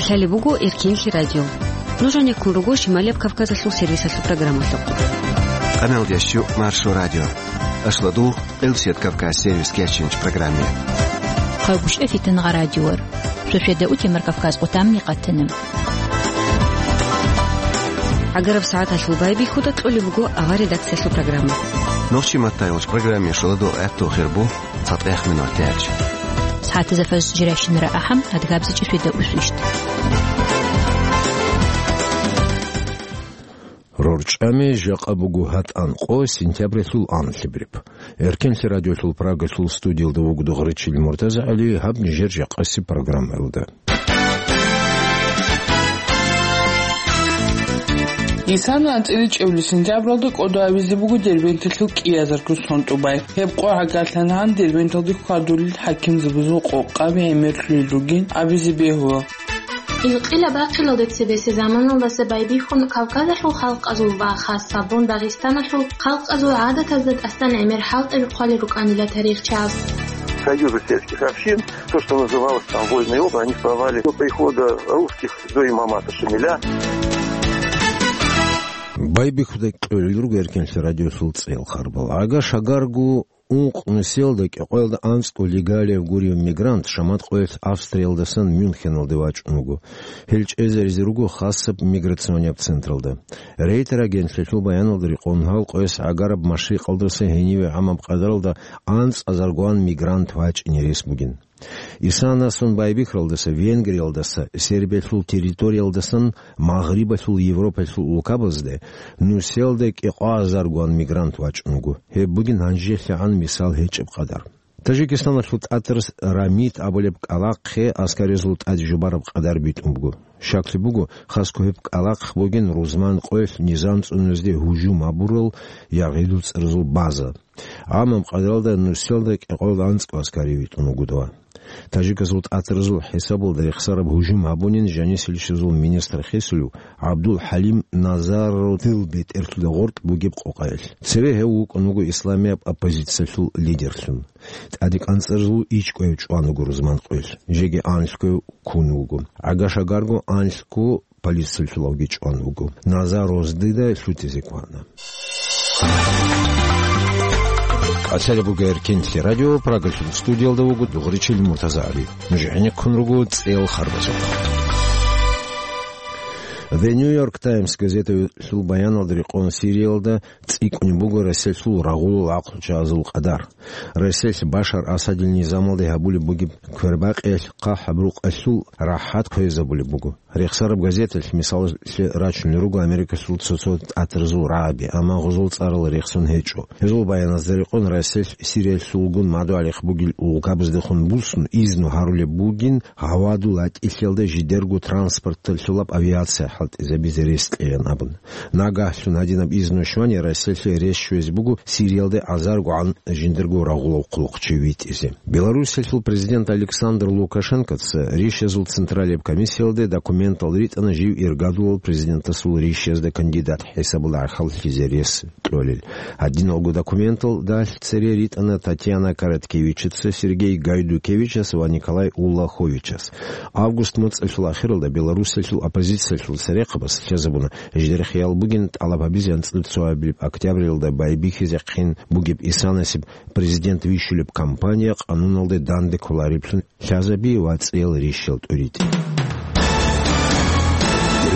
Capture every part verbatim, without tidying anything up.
Гьале буго Эркенлъи радио. Нуж гьанеккун руго Шималияб Кавказалъул сервисалъул программалъухъ. Къаналдеш чу Маршо радио. Ашладу Къилсият Кавказ сервис кечинч программе. Хъайгъушев Фитнагъа радиор. Шошеда утемар Кавказ къутамни къатана. Агараб сагӀаталъул байбихьуда кьолеб буго авар редакциялъул программа. Нохчи маттайолч программе шоладо гӀатту хирбу. ЦатӀех минут тяч. СагӀатазда фажр жирайщинара ахӀам, адгабзичӀеб шведа усвищт. РорчӀами жакъа буго гьатӀан къо сентябралъул анлъабриб. Эркенлъи радиолъул Прагалъул студиялда вугода Гъречил МуртазагӀали, гьаб нижер жакъаси программаялда. Исана анцӀила чӀебли сентябралда кӀодо абизе буго Дербенталъул кӀиазарго сон тӀубай. Гьеб къо гӀагарлъана гьан Дербенталде хьвадулел хӀакимзабазул къокъаби гӀемерлъулел ругин абизе бегьула. Илкъила бахъилалде цебесеб заманалдаса байбихьун Кавказалъул халкъазул ва хасабун Дагъистаналъул халкъазул гӀадатазда тӀасан гӀемер хӀалтӀаби хъвалел рукӀанила тарихчияз. Союзы сельских общин, то, что называлось там вольные области, они существовали до прихода русских, до имамата Шамиля. Байбихьуда кьолел руго Эркенлъи радиолъул цӀел харбал. Агаш агарго ункъ нусиялда кӀикъоялда анцӀго легалияб гуреб мигрант шамат къоялъ Австриялдасан Мюнхеналде вачӀун вуго. Гьел чӀезаризе руго хасаб миграционияб централда. Рейтер агентлъиялъул баяналда рекъон гьал къояс гӀагараб машрикъалдаса гьениве гӀамаб къадаралда анцӀазар гван мигрант вачӀине рес бугин. Исанасун байбихьаралдаса, Венгриялдаса, Сербиялъул территориялдасан Магърибалъул Европалъул улкабазде нусиялда кӀикъоазаргуан мигрант вачӀун вуго. Гьеб бугин гьанжелъагӀан мисал гьечӀеб къадар. Таджикистаналъул тӀатарас Рамид абулеб кӀкӀалахъе аскаризул тӀад жубараб къадар битӀун буго. Щаклъи буго, хасго гьеб кӀкӀалахъ бугин рузман къоялъ низам цӀуназде гьужум гьабурал ягъидул цӀарзул база. ГӀамаб къадаралда нусиялда кӀикъоялда анцӀго аскари витӀун вуго дова. Таджикасул тӀатаразул хӀисабалда рехсараб гьужум гьабунин жанисилищазул министр хисулев ГӀабдул-ХӀалим Назаров дил бетӀерлъуда гъоркь бугеб къокъаялъ. Цеве гьев вукӀун вуго исламияб оппозициялъул лидерлъун. ТӀаде кӀанцӀарзул ичӀкӀвев чӀван вуго рузман къоялъ, жеги анлъго ккун вуго. ГӀагаш агарго анлъго полициялъулавги чӀван вуго. Назаров дида лъутизе кквана. КӀалъалеб буго Эркенлъи радио, Прагалъул студиялда вуго Дугъричил МуртазагӀали. Нуж гӀенеккун руго цӀел харбазухъ. The New York Times газеталъул баяналда рекъон Сириялда цӀикӀкӀунеб буго Россиялъул рагъулал гӀакълучагӀазул къадар. Россиялъ Башар Асадил низамалде гьабулеб бугеб квербакъиялъ хъахӀаб рукъалъул рахӀат хъвезабулеб буго. Рехсараб газеталъ мисалалъе рачунел руго Америкалъул цо-цо тӀатаразул рагӀаби, амма гъозул цӀарал рехсон гьечӀо. Гьезул баяназда рекъон Россиялъ Сириялъулгун мадугӀалихъ бугел улкабаздехун буссун изну гьарулеб бугин гьавадул гьатӀилъиялда жидерго транспорталъулаб авиация хӀалтӀизабизе рес кьеян абун. Нагагьлъун гьадинаб изну щвани Россиялъе рес щвезе буго Сириялде азаргогӀан жиндирго рагъулав хъулухъчи витӀизе. Белоруссиялъул президент Александр Лукашенкоца ришазул централияб комиссиялде документал ритӀана жив иргадулал президентасул ришазда кандидат хӀисабалда гӀахьаллъизе рес кьолел. Гьадиналго документалдалъ цере ритӀана Татьяна Короткевичаца, Сергей Гайдукевичас ва Николай Уллаховичас. Август моцӀалъул ахиралда Белоруссиялъул оппозициялъул церехъабаз лъазабуна, жидер хиял бугин тӀалаб гьабизе анцӀила цоабилеб октябралда байбихьизехъин бугеб Исанасеб президент вищулеб кампания къануналде данде кколареблъун лъазаби ва цӀел ришал тӀуритӀ.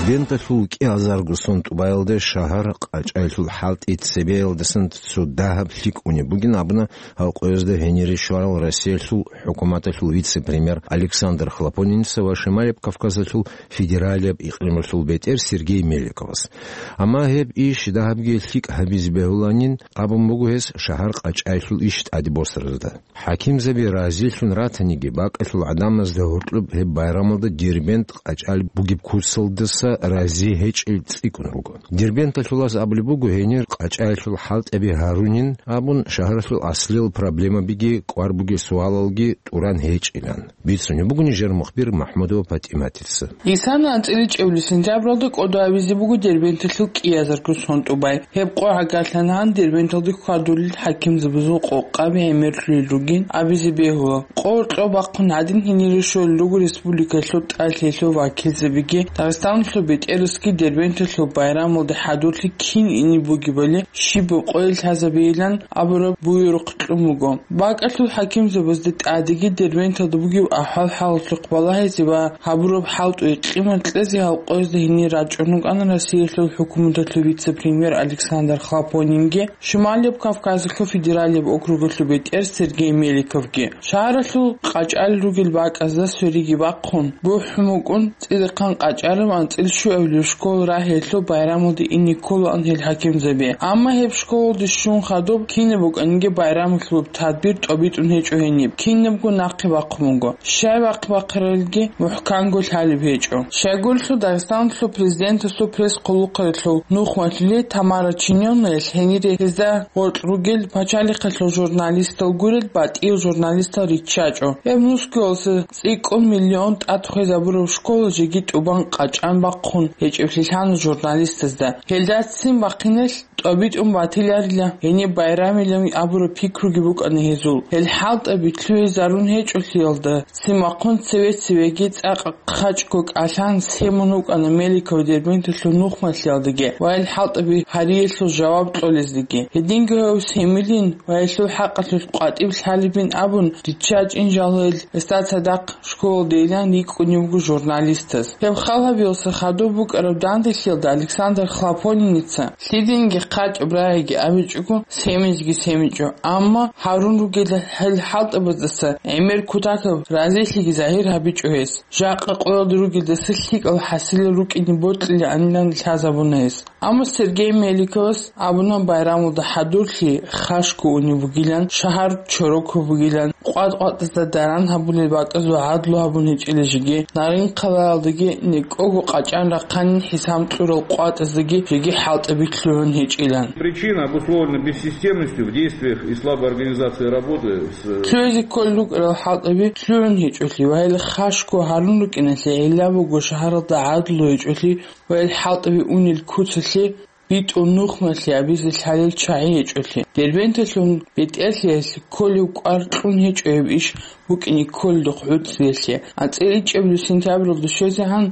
Дербенталъул кӀиазарго сон тӀубаялда шагьар къачӀаялъул хӀалтӀи цебеялдасан цо дагьаб лъикӀ унеб бугин абуна гьал къоязда гьенире щварал Россиялъул хӀукуматалъул вице-премьер Александр Хлопониница ва Шималияб Кавказалъул федералияб икълималъул бетӀер Сергей Меликовас. Амма гьеб иш дагьабги лъикӀ гьабизе бегьуланин абун буго гьес шагьар къачӀаялъул иш тӀаде босаразда. ХӀакимзаби разилъун ратаниги, бакӀалъул гӀадамазда гьоркьоб гьеб байрамалда Дербент къачӀал бугеб куцалдаса рази гьечӀел цӀикӀкӀун руго. Дербенталъулас абулеб буго гьенир къачӀаялъул хӀалтӀаби гьарунин абун, шагьаралъул аслиял проблемабиги кӀвар бугел суалалги тӀуран гьечӀилан. Бицунеб буго нижер мухбир МахӀмудова ПатӀиматица. Исана анцӀила чӀебли сентябралда кӀодо гьабизе буго Дербенталъул кӀиазарго сон тӀубай. Гьеб къо гӀагарлъанагӀан Дербенталда хьвадулел хӀакимзабазул къокъаби гӀемерлъулел ругин абизе бегьула. Къо кьо бахъун гьадин гьенире щолел руго республикалъул тӀад лъелъул вакилзабиги, Дагъистаналъул бетӀерасги Дербенталъул байрамалде хӀадурлъи кин ине бугебали щибаб къойил лъазабейилан абураб буюрухъ кьун буго. БакӀалъул хӀакимзабазда тӀадеги Дербенталда бугеб ахӀвал-хӀалалъухъ балагьизе ва гьабураб хӀалтӀуе къимат кьезе гьал къоязда гьенир рачӀун рукӀана Россиялъул хӀукуматалъул вице-премьер Александр Хлопонинги, Шималияб Кавказалъул федералияб округалъул бетӀер Сергей Меликовги. Шагьаралъул къачӀал ругел бакӀазда свериги бахъун, бухӀун букӀун, цӀидахъан къачӀараб анцӀила щуабилеб школа рагьиялъул байрамалде ине кколаан гьел хӀакимзаби. Амма гьеб школалде щун хадуб кинаб букӀаниги байрамалъул тадбир тӀобитӀун гьечӀо гьениб, кинабго нахъе бахъун буго. Щай бахъ-бахъаралги мухӀканго лъалеб гьечӀо. Щайгурелъул Дагъистаналъул президентасул пресс-хъулухъалъул нухмалъули Тамара Чинёнаялъ гьенире гьезда гъоркь ругел пачалихъалъул журналистал гурел батӀиял журналистал риччачӀо. Гьеб Москваялъул цӀикӀкӀун миллион тӀад хвезабураб школа жеги тӀубан къачӀан бахъун гьечӀеблъи лъана журналистазда. Гьелда ццин бахъиналъ тӀобитӀун батиларила гьениб байрамилан абураб пикруги букӀана гьезул. Гьел хӀалтӀаби лъугӀизарун гьечӀолъиялда ццин бахъун цеве-цевеги цӀакъ хъачӀго кӀалъан семун вукӀана Меликов Дербенталъул нухмалъиялдаги ва гьел хӀалтӀаби гьариялъул жаваб кьолездаги. Гьединго гьев семилин ва гьелъул хӀакъалъулъ къватӀиб лъалебин абун, риччачӀин жал гьел гьесда цадахъ школалдейилан рикӀкӀунеб буго журналистаз. Гьеб хал гьабиялъа хадуб букӀараб данделъиялда Александр Хлопониница лъидинги хъачӀаб рагӀиги абичӀого, семизги семичӀо, амма гьарун ругел гьел хӀалтӀабаздаса гӀемер кутакаб разилъиги загьир гьабичӀо гьес. Жакъа къоялда ругелдаса лъикӀал хӀасилал рукӀине бокьилаанилан лъазабуна гьес. Амма Сергей Меликовас абуна, байрамалда хӀадурлъи хашго унеб бугилан, шагьар чорокаб бугилан, къватӀ-къватӀазда даран гьабулел бакӀазул гӀадлу гьабун гьечӀила жеги, Нарин-хъалаялдаги некӀого къачӀан рахъанин хӀисам кьурал къватӀаздаги жеги хӀалтӀаби лъугӀун гьечӀилан. Причина обусловлена бессистемностью в действиях и слабой организацией работы с... Лъугьизе кколел рукӀарал хӀалтӀаби лъугӀун гьечӀолъи ва гьел хашго гьарун рукӀиналъе гӀилла буго шагьаралда гӀадлу гьечӀолъи ва гьел хӀалтӀаби унел куцалъе битӀун нухмалъи абизе лъалел чагӀи гьечӀолъи. Дербенталъул бетӀерлъиялъе кколев кӀвар кьун гьечӀо гьеб иш букӀине кколелдухъ гӀуцӀиялъе. АнцӀила ичӀабилеб сентябралда щвезегӀан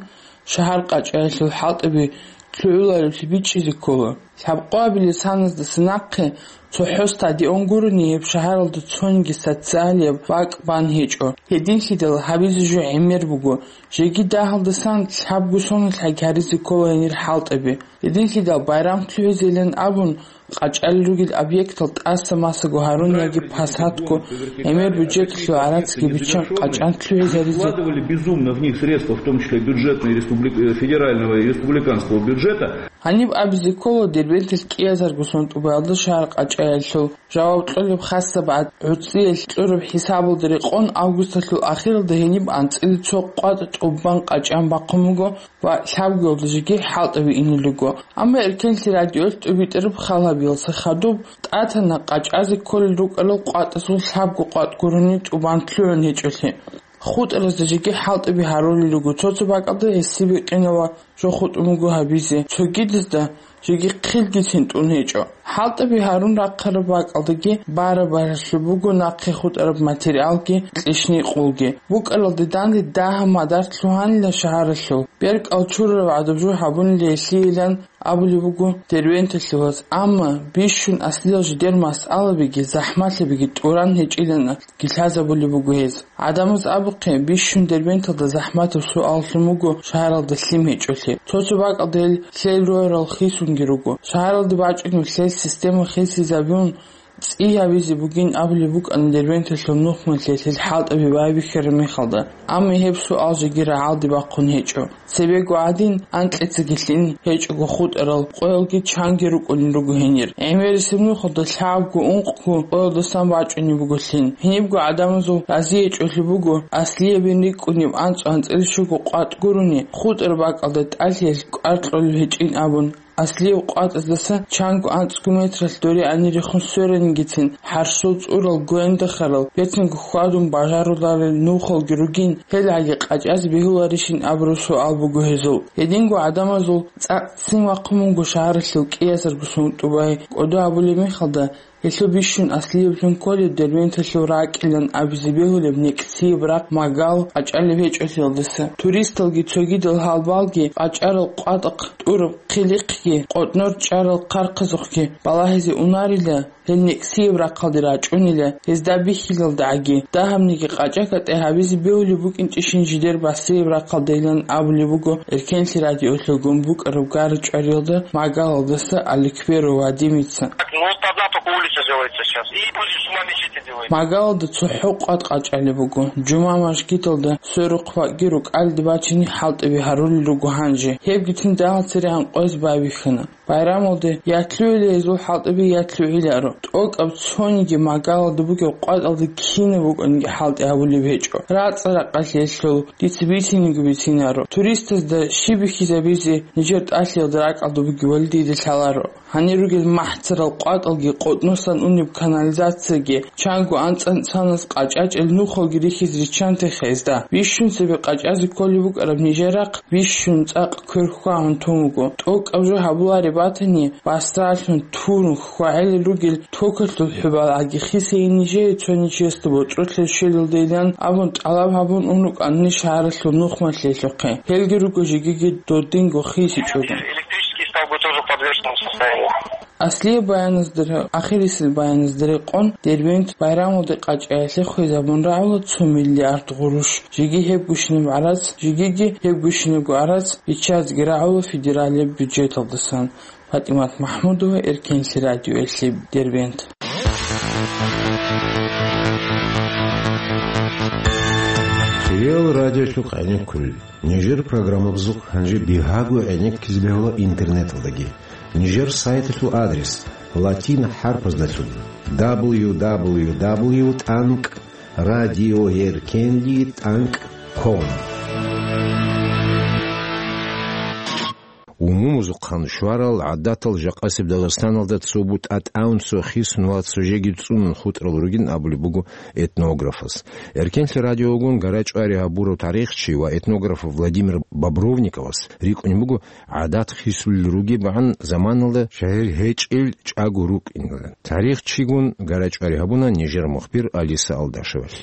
шагьар къачӀаялъул хӀалтӀаби лъугӀуларевлъи бичӀчӀизе ккола. Лъабкъоабилеб саназдаса нахъе цохӀо стадион гурони гьеб шагьаралда цониги социалияб бакӀ бан гьечӀо. Гьединлъидал гьабизе жо гӀемер буго. Жеги дагьалдасан лъабго соналъ гьаризе ккола гьенир хӀалтӀаби. Гьединлъидал байрам лъугӀизейилан абун, къачӀалел ругел объектал тӀаса-масаго гьарун яги пасатго гӀемер бюджеталъул гӀарацги биччан къачӀан лъугӀизаризе. Вкладывали безумно в них средства, в том числе бюджетные республик-, э, федерального и республиканского бюджета. Гьаниб абизе ккола, Дербенталъ кӀиазарго сон тӀубаялда шагьар къачӀаялъул жаваб кьолеб хасаб гӀад-, гӀуцӀиялъ кьураб хӀисабалда рекъон августалъул ахиралда гьениб анцӀила цо къватӀ тӀубан къачӀан бахъун буго ва лъабгоялда жеги хӀалтӀаби инел руго. Амма Эркенлъи радиоялъ тӀубитӀараб хал гьабиялъа хадуб тӀатана къачӀазе кколел рукӀарал къватӀазул лъабго къватӀ гурони тӀубан лъугӀун гьечӀолъи. ХутӀаразда жеги хӀалтӀаби гьарулел руго, цо-цо бакӀалда гьесие бикъинав ва жо хутӀун буго гьабизе, цогидазда жеги хъилгицин тӀун гьечӀо. ХӀалтӀаби гьарун рахъараб бакӀалдаги бара-баралъуб буго нахъе хутӀараб материалги кьишни-къулги. БукӀаралда данде дагьаб мадар лъугьанила шагьаралъул. БеркӀал чурараб гӀадаб жо гьабунила гьелъийилан абулеб буго Дербенталъуваз, амма бищун аслиял жидер масъалабиги захӀмалъабиги тӀуран гьечӀилан лъазабулеб буго гьез. ГӀадамаз абухъе, бищун Дербенталда захӀматаб суаллъун буго шагьаралда лъим гьечӀолъи. Цо-цо бакӀалда гьел лъел ругьарал хисунги руго. Шагьаралда бачӀунеб лъел система хисизабун, цӀи гьабизе бугин абулеб букӀана Дербенталъул нухмалъе гьел хӀалтӀаби байбихьараб мехалда, амма гьеб суал жеги рагӀалде бахъун гьечӀо. Цебего гӀадин, анкьицаги лъин гьечӀого хутӀарал къоялги чанги рукӀунел руго гьенир. ГӀемерисеб нухалда лъабго-ункъго къоялдасан бачӀунеб буго лъин. Гьенибго гӀадамазул разиячӀолъи буго Аслиябин рикӀкӀунеб анцӀ анцӀила щуго къватӀ гурони, хутӀараб бакӀалда тӀалъиялъ кӀвар кьолеб гьечӀин абун. Аслияб къватӀаздаса чанго анцӀго метралъ доригӀани рехун сверанигицин, гьарсул цӀурал, гвендахарал, бецинго хьвадун бажаруларел нухалги ругин, гьел гӀаги къачӀазе бегьуларищин абураб суал буго гьезул. Гьединго гӀадамазул цӀакъ ццин вахъун вуго шагьаралъул кӀиазарго сунтӀубай. КӀодо абулеб мехалда, гьелъул бищун Аслияблъун кколеб Дербенталъул ракӀилан абизе бегьулеб некӀсияб рахъ Магал къачӀалеб гьечӀолъиялдаса. Туристалги цогидал гьалбалги къачӀарал къватӀахъ тӀураб хъилихъги, къотӀнор чӀарал хъархъазухъги балагьизе унарила, гьел некӀсияб рахъалде рачӀунила, гьезда бихьилалдагӀаги, дагьабниги къачӀа-кӀатӀи гьабизе бегьулеб букӀинчӀищин жидер басияб рахъалдайилан абулеб буго Эркенлъи радиолъулгун букӀараб гара-чӀвариялда Магалалдаса Аликперов Вадимица. Ну, вот одна только улица делается сейчас. И будет сумма мечети делается. Магалалда цохӀо къватӀ къачӀалеб буго. Жума мажгиталда сверухъ бакӀги рукӀалде бачине хӀалтӀаби гьарулел руго гьанже. Гьебгицин дагьал церегӀан къояз байбихьана. Байрамалде ятлъугьила гьезул хӀалтӀаби, ятлъугьиларо. ТӀокӀаб цониги Магалалда бугеб къватӀалда кинаб букӀаниги хӀалтӀи гьабулеб гьечӀо. РацӀа-ракъалъе лъул, дица бициниги бицинаро. Туристазда щиб бихьизабизе нижер тӀалъиялда ракӀалда бугебали дида лъаларо. Гьанир ругел махӀцарал къватӀалги, къотӀносан унеб канализацияги, чанго анцӀ-анцӀанас къачӀачӀел нухалги рихьизе риччантеха гьезда. Бищун цебе къачӀазе кколеб букӀараб нижер рахъ бищун цӀакъ квер хьвагьун тун вуго. ТӀокӀаб жо гьабулареб батани, басралъун, турун, хьвагӀелел ругел токалъул хӀубалагӀаги хисейин нижее цони чиясда боцӀролъи щвелалдайилан абун тӀалаб гьабун ун рукӀанани шагьаралъул нухмалъиялъухъе. Гьелги руго жегиги додинго хисичӀого. Электрический столбы тоже в подвешенном состоянии. Аслияб баяназда, ахирисел баяназда рекъон, Дербент байрамалде къачӀаялъе хвезабун рагӀула цо миллиард гъурущ. Жеги гьеб гущинаб гӀарац, жегиги гьеб гущинабго гӀарац биччазеги рагӀула федералияб бюджеталдасан. ПатӀимат МахӀмудова, Эркенлъи радиоялъе, Дербент. Реал радиолъухъ гӀенеккулел. Нижер программабазухъ гьанже бигьаго гӀенеккизе бегьула интернеталдаги. Нижер сайталъул адрес латин хӀарпаздалъун: дабл ю дабл ю дабл ю тӀанкӀ радиоеркенлъи тӀанкӀ ком. Умумузухъан щварал гӀадатал жакъасеб Дагъистаналда цо бутӀа тӀамун, цо хисун ва цо жеги цӀунун хутӀарал ругин абулеб буго этнографас. Эркенлъи радиогун гара-чӀвари гьабурав тарихчи ва этнограф Владимир Бобровниковас рикӀкӀунеб буго гӀадат хисулел ругебгӀан заманалда шагьир гьечӀел чӀаго рукӀинилан. Тарихчигун гара-чӀвари гьабуна нижер мухбир Алиса Алдашевалъ.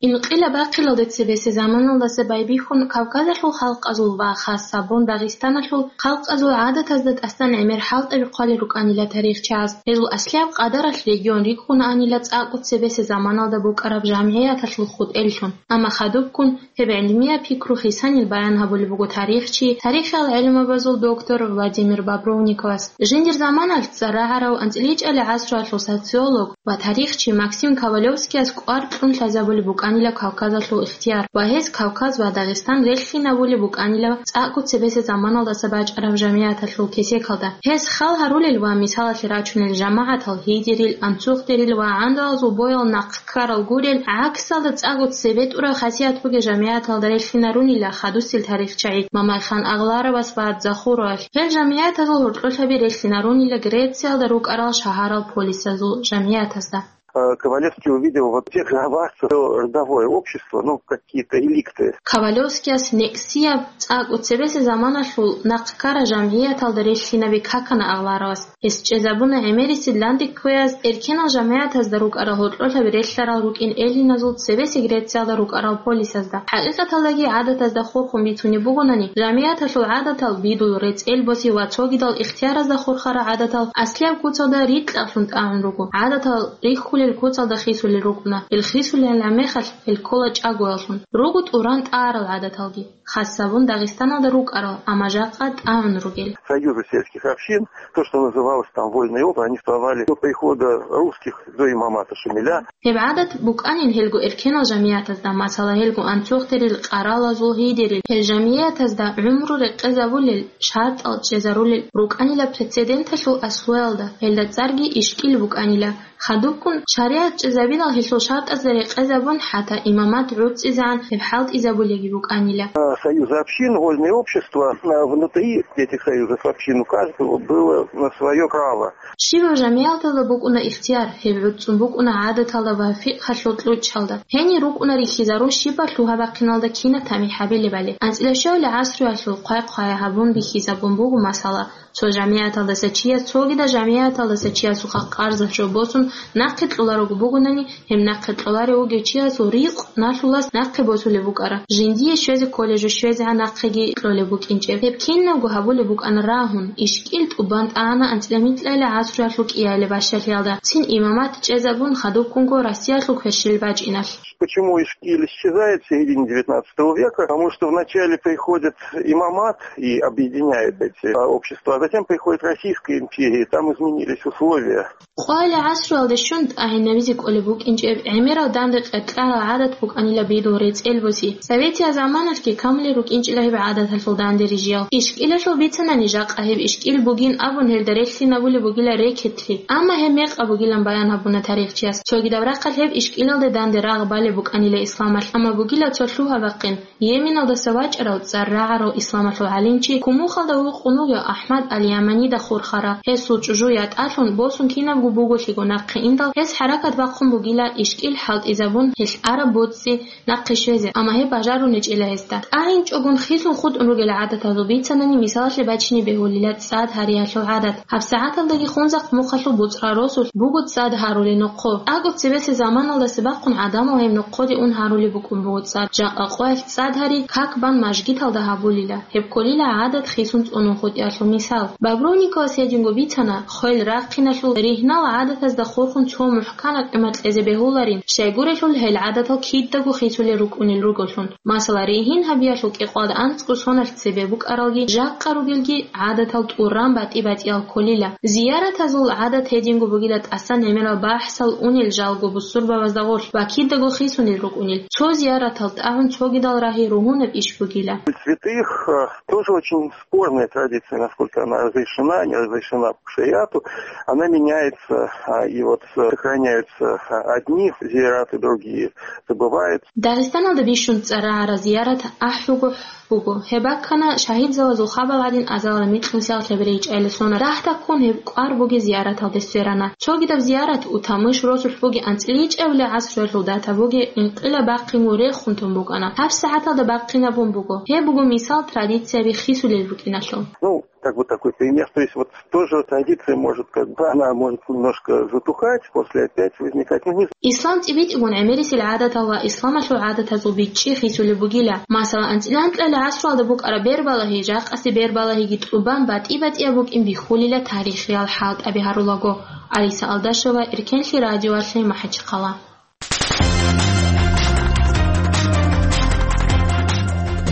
Инкъилаб бахъиналде цебесеб заманалдаса байбихьун Кавказалъул халкъазул ва хас гьабун Дагъистаналъул халкъазул гӀадатазда тӀасан гӀемер хӀалтӀаби хъвалел рукӀанила тарихчияс. Гьезул аслияб къадаралъ регион рикӀкӀунаанила цӀакъго цебесеб заманалда букӀараб жамгӀияталъул хутӀеллъун. Амма хадубккун гьеб гӀилмияб пикру хисанил баян гьабулеб буго тарихчи, тарихиял гӀелмабазул доктор Владимир Бобровниковас. Жиндир заманалъ цӀар рагӀарав анцӀила гӀасруялъул социолог ва тарихчи Максим Ковалевскияс кӀвар кьун лъазабулеб букӀанила Кавказалъул ихтияр ва гьез Кавказ ва Дагъистан релълъинабулеб букӀанила цӀакъго цебесеб заманалдаса бачӀараб жамгӀияталъул кесекалда. Гьез хал гьарулел ва мисалалъе рачунел жамагӀатал гьидерил, анцухдерил ва гӀандалазул боял нахъ ккарал гурел, гӀаксалда цӀакъго цебетӀураб хасият бугел жамгӀияталда релълъинарунила хадусел тарихчагӀи Мамайхан Агъларовас ва Захуровалъ. Гьел жамгӀиятазул гьоркьолъаби релълъинарунила Грециялда рукӀарал шагьарал полисазул жамгӀиятазда. Э, Ковалевский увидел вот в тех аварцах родовое общество, ну, какие-то реликты. Ковалевскияс некӀсияб цӀакъго цебесеб заманалъул нахъ ккараб жамгӀияталда релълъинаби какана Агъларовас. Гьес чӀезабуна гӀемерисел данде кквеяз, эркенал жамгӀиятазда рукӀарал гьоркьолъаби релълъарал рукӀин эллиназул цебесеб Грециялда рукӀарал полисазда. ХӀакъикъаталдаги гӀадатазда хурхун бицунеб бугонани, жамгӀияталъул гӀадатал бидул, рецӀел боси ва цогидал ихтияразда хурхарал гӀадатал аслияб куцалда рикьалъун тӀагӀун руго. ГӀадатал рихьулел гьел куцалда хисулел рукӀуна. Гьел хисулел гӀемерал гьел ккола чӀагояллъун. Руго тӀуран тӀарал гӀадаталги, хасабун Дагъистаналда рукӀарал, амма жакъа тӀагӀун ругел. Союзы сельских общин, то, что называлось там вольные опы, они существовали до прихода русских, до имамата Шамиля. Гьеб гӀадат букӀанин гьелго эркенал жамиятазда, масала, гьелго анцухъерил, къаралазул гьидерил, гьел жамиятазда гӀумру рекъезабулел, шартӀал чӀезарулел рукӀанила прецеденталъул аслуялда, гьелда цӀарги ишкӀил букӀанила. Хадубккун шаригӀат чӀезабинал гьелъул шартӀазда рекъезабун, хӀатта имамат гӀуцӀизегӀан гьеб хӀалтӀизабулеги букӀанила. А, союзы общин, вольные общества, а, внутри этих союзов общин у каждого было, а, своё право. Щибаб жамияталда букӀуна ихтияр, гьеб гӀуцӀцӀун букӀуна гӀадаталда ва фикъгьалъул кьучӀалда. Гьенир рукӀуна рихьизарун щибаб лъугьа-бахъиналда кинаб тамихӀ гьабилебали. АнцӀила щивали гӀасруялъул хъвай-хъвай гьабун бихьизабун буго масала. Цо жамияталдаса чияс цогидал жамияталдаса чиясухъа къарзалъ жо босун нахъе кьоларого бугонани, гьеб нахъе кьоларев вугев чиясул ризкъ налъулас нахъе босулеб букӀара. Жиндие щвезе кколеб жо щвезегӀан нахъеги кьолеб букӀинчӀеб. Гьеб кинабго гьабулеб букӀана рагьун, ишкӀил тӀубан тӀагӀана анцӀила микьайила гӀасруялъул кӀиабилеб бащалъиялда, цин имамат чӀезабун хадубккунго Россиялъул кверщел бачӀиналъ. Почему ишкиль исчезает в середине девятнадцатого века? Потому что вначале приходит имамат и объединяет эти, а, общества, а затем приходит Российская империя, и там изменились условия. Къвайила гӀасруялда щун тӀагӀинабизе кӀолеб букӀинчӀеб гӀемерал данде къеркьарал гӀадат букӀанила бидул рецӀел буси. Советиял заманалъги камулел рукӀинчӀила гьеб гӀадаталъул данде рижиял. ИшкӀилалъул бицанани жакъа гьеб ишкӀил бугин абун гьелда релълъинабулеб бугила рекетлъи. Амма гьеб мекъаб бугилан баян гьабуна тарихчияс. Цогидаб рахъалъ гьеб ишкӀилалде данде рагъ балеб букӀанила исламалъ, амма бугила цо лъугьа-бахъин. Йеменалдаса вачӀарав цӀар рагӀарав исламалъул гӀалимчи, Кумухалда вукъун вугев АхӀмад аль-Яманида хурхарав, гьесул чӀужу ятӀалъун босун кинабго буголъиго нахъе индал, гьес хӀаракат бахъун бугила ишкӀил хӀалтӀизабун гьелъ араб боцӀи нахъе щвезе, амма гьеб бажарунечӀила гьесда. ТӀагӀинчӀогун хисун хутӀун ругел гӀадатазул бицанани мисалалъе бачине бегьулила цӀад гьариялъул гӀадат. ГьабсагӀаталдаги Хунзахъ мухъалъул буцӀрал росулъ буго цӀад гьарули нохъо. ТӀаго цебесеб заманалдаса бахъун гӀадамал гьеб нохъоде ун гьарулеб букӀун буго цӀад. Жакъа къоялъ цӀад гьари как бан мажгиталда гьабулила. Гьеб кколила гӀадат хисун цӀунун хутӀиялъул мисал. Бобровниковас гьединго бицана, хвел рахъиналъул ригьнал гӀадатазда хурхун цо мухӀканаб къимат кьезе бегьуларин, щайгурелъул гьел гӀадатал кидаго хисулел рукӀунел руголъун. Масала, ригьин гьабиялъул кӀикъоялда анцӀго соналъ цебе букӀаралги, жакъа ругелги гӀадатал тӀуран батӀи-батӀиял кколила. Зияратазул гӀадат гьединго бугила тӀасан гӀемерал бахӀсал унел жалго бусурбабазда гъорлъ ва кидаго хисунел рукӀунел. Цо зияратал тӀагӀун цогидал рагьи ругьунаб иш бугила. Святых, э, тоже очень спорная традиция, насколько она разрешена, не разрешена по шариату. Она меняется, а, и вот, э, сохраняются, а, одни зияраты, другие забывают. Дагъистаналда бищун цӀар рагӀарал зиярат ахӀуго буго. Гьеб баккана шагьидзабазул хабал гьадин азалда микьнусиялъ гьеб рейчӀайилан сона. Рагьдаккун гьеб кӀвар бугеб зияраталде сверана. Цогидаб зиярат Утамыш росулъ бугеб анцӀила ичӀабилеб гӀасруялъул дата бугеб инкъилаб бахъинго рехун тун букӀана. ГьабсагӀаталда бахъинабун буго. Гьеб буго мисал традицияби хисулел рукӀиналъул. Ну, как бы такой пример. То есть вот тоже традиция может, как бы, она может немножко затухать, после опять возникать. Ну, не Ислам цӀибитӀигун гӀемерисел гӀадатал ва исламалъул гӀадатазул бичӀчӀи хисулеб бугила. Масала, анцӀила анкьабилеб гӀасруялда букӀараб бербалагьи, жакъасеб бербалагьиги тӀубан батӀи-батӀияб букӀин бихьулила тарихиял хӀалтӀаби гьарулаго. Алиса Алдашева, Эркенлъи радиоялъе, МахӀачхъала.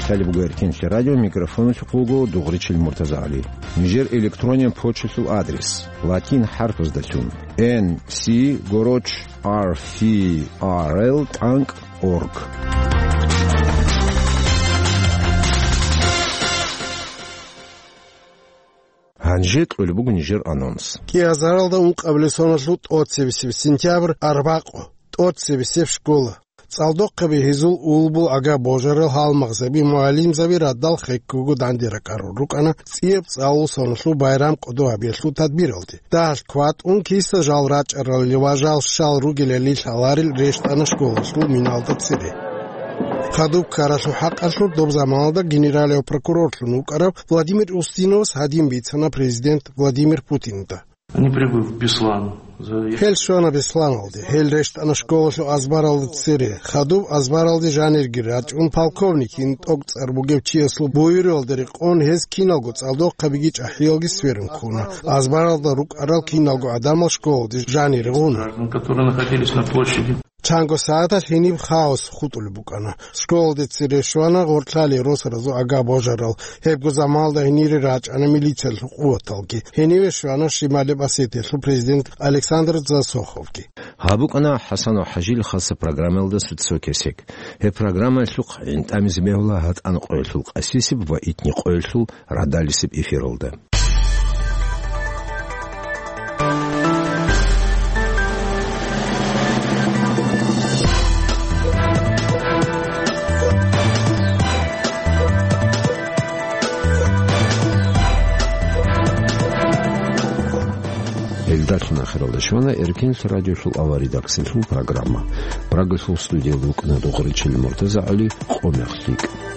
Талиб буго Эркенлъи радио, микрофоналъухъ вуго Дугъричил Муртазагьли. Нижер электронен почталъул адрес: латин хӀарпаздалъун, Н С горочь ар фи ар эл тӀанкӀ орг. Гьанже кьолеб буго нижер анонс. КӀиазаралда ункъабилеб соналъул тӀоцебесеб сентябрь, арбакъо, тӀоцебесеб школа. ЦӀалдохъаби гьезул улбул ага божарал гьалмагъзаби, мугӀалимзаби радал хеккого данде ракӀарал рукӀана цӀияб цӀалул соналъул байрам къодо гьабиялъул тадбиралде. Дагьалъ кватӀун киса жал рачӀарал ва жал щал ругелали лъаларел рещтӀана школалъул миналда цере. Хадуб ккаралъул хӀакъалъулъ доб заманалда генералияв прокурорлъун вукӀарав Владимир Устиновас гьадин бицана президент Владимир Путинда. Они прибыв в Беслан, Гьел щвана Бесланалде, гьел рещтӀана школалъул азбаралда цере. Хадуб азбаралде жанирги рачӀун, полковникин тӀокӀцӀар бугев чиясул буюралда рекъон гьез киналго цӀалдохъабиги чӀахӀиялги сверун ккуна. Азбаралда рукӀарал киналго гӀадамал школалде жанире гъуна. Граждан, которые находились на площади. Чанго сагӀаталъ гьениб хаос хутӀулеб букӀана. Школалде цере щвана гъорлъали росаразул агар божарал. Гьебго заманалда гьенире рачӀана милициялъул къуваталги. Гьениве щвана Шималеб Осетиялъул президент Александр Засоховги. Гьаб букӀана ХӀасанов ХӀажил хасаб программаялда «Сцо кесек». Гьеб программаялъухъ гӀинтӀамизе бегьула гьатӀан къоялъул Къасисиб ва итни къоялъул Радалисеб эфиралда. Гьелдалъун ахиралда щвана Эркенлъ радиолъул аваридаксилъул программа. Прагалъул студиялда вукӀана Догъоричил МуртазагӀали. Къо мех лъикӀ.